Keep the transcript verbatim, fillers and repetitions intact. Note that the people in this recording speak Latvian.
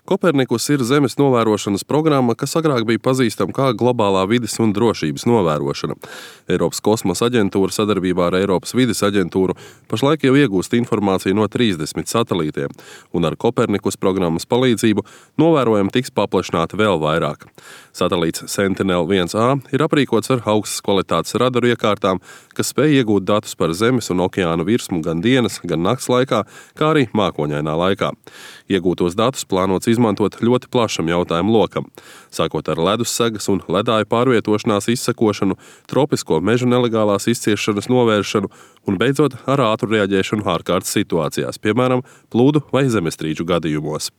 Kopernikus ir zemes novērošanas programma, kas agrāk bija pazīstama kā globālā vides un drošības novērošana. Eiropas kosmosa aģentūra sadarbībā ar Eiropas vides aģentūru pašlaik jau iegūst informāciju no trīsdesmit satelītiem, un ar Kopernikus programmas palīdzību novērojumi tiks paplašināti vēl vairāk. Satelīts Sentinel viens A ir aprīkots ar augstas kvalitātes radaru iekārtām, kas spēj iegūt datus par zemes un okeāna virsmu gan dienas, gan nakts laikā, kā arī mākoņainā laikā. Iegūtos datus plānots izmantot ļoti plašam jautājumu lokam, sākot ar ledussegas un ledāju pārvietošanās izsekošanu, tropisko mežu nelegālās izciešanas novēršanu un beidzot ar ātru reaģēšanu ārkārtas situācijās, piemēram, plūdu vai zemestrīču gadījumos.